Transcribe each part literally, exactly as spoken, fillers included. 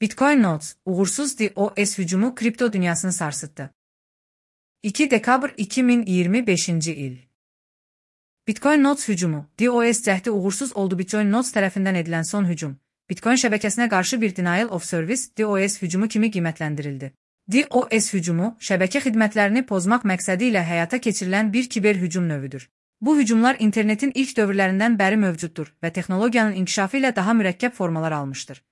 Bitcoin Notes, uğursuz DOS hücumu kripto dünyasını sarsıttı. iki dekabr iki min iyirmi beşinci il. Bitcoin Notes hücumu, DOS cəhdi uğursuz oldu. Bitcoin Notes tərəfindən edilən son hücum, Bitcoin şəbəkəsinə qarşı bir Denial of Service DOS hücumu kimi qiymətləndirildi. DOS hücumu, şəbəkə xidmətlərini pozmaq məqsədi ilə həyata keçirilən bir kiber hücum növüdür. Bu hücumlar internetin ilk dövrlərindən bəri mövcuddur və texnologiyanın inkişafı ilə daha mürəkkəb formalar almışdır.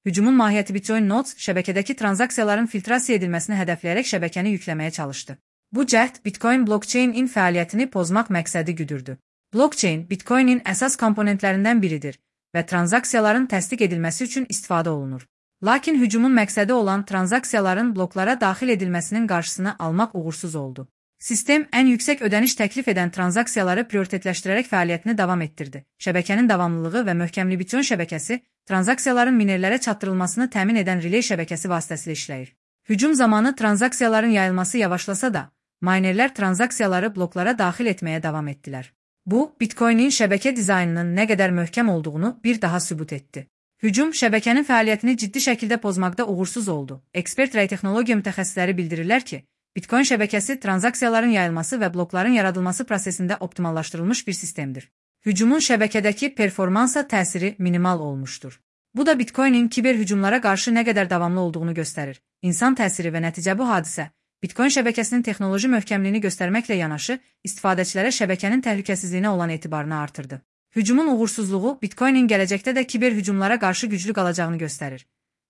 Hücumun mahiyyəti Bitcoin Notes şəbəkədəki tranzaksiyaların filtrasiya edilməsini hədəfləyərək şəbəkəni yükləməyə çalışdı. Bu cəhd Bitcoin blockchain-in fəaliyyətini pozmaq məqsədi güdürdü. Blockchain, Bitcoin-in əsas komponentlərindən biridir və tranzaksiyaların təsdiq edilməsi üçün istifadə olunur. Lakin hücumun məqsədi olan tranzaksiyaların bloklara daxil edilməsinin qarşısını almaq uğursuz oldu. Sistem ən yüksək ödəniş təklif edən tranzaksiyaları prioritetləşdirərək fəaliyyətini davam etdirdi. Şəbəkənin davamlılığı və möhkəmli Bitcoin şəbəkəsi tranzaksiyaların minerlərə çatdırılmasını təmin edən relay şəbəkəsi vasitəsilə işləyir. Hücum zamanı tranzaksiyaların yayılması yavaşlasa da, minerlər tranzaksiyaları bloklara daxil etməyə davam etdilər. Bu, Bitcoin-in şəbəkə dizaynının nə qədər möhkəm olduğunu bir daha sübut etdi. Hücum şəbəkənin fəaliyyətini ciddi şəkildə pozmaqda uğursuz oldu. Ekspert rəy texnologiya mütəxəssisləri bildirirlər ki, Bitcoin şəbəkəsi tranzaksiyaların yayılması və blokların yaradılması prosesində optimallaşdırılmış bir sistemdir. Hücumun şəbəkədəki performansa təsiri minimal olmuşdur. Bu da Bitcoin-in kiber hücumlara qarşı nə qədər davamlı olduğunu göstərir. İnsan təsiri və nəticə bu hadisə, Bitcoin şəbəkəsinin texnoloji möhkəmliyini göstərməklə yanaşı, istifadəçilərə şəbəkənin təhlükəsizliyinə olan etibarını artırdı. Hücumun uğursuzluğu Bitcoin-in gələcəkdə də kiber hücumlara qarşı güclü qalacağını göstərir.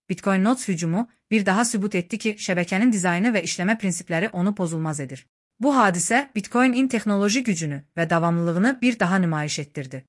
Bitcoin Notes hücumu bir daha sübut etdi ki, şəbəkənin dizaynı və işləmə prinsipləri onu pozulmaz edir. Bu hadisə Bitcoin-in texnoloji gücünü və davamlılığını bir daha nümayiş etdirdi.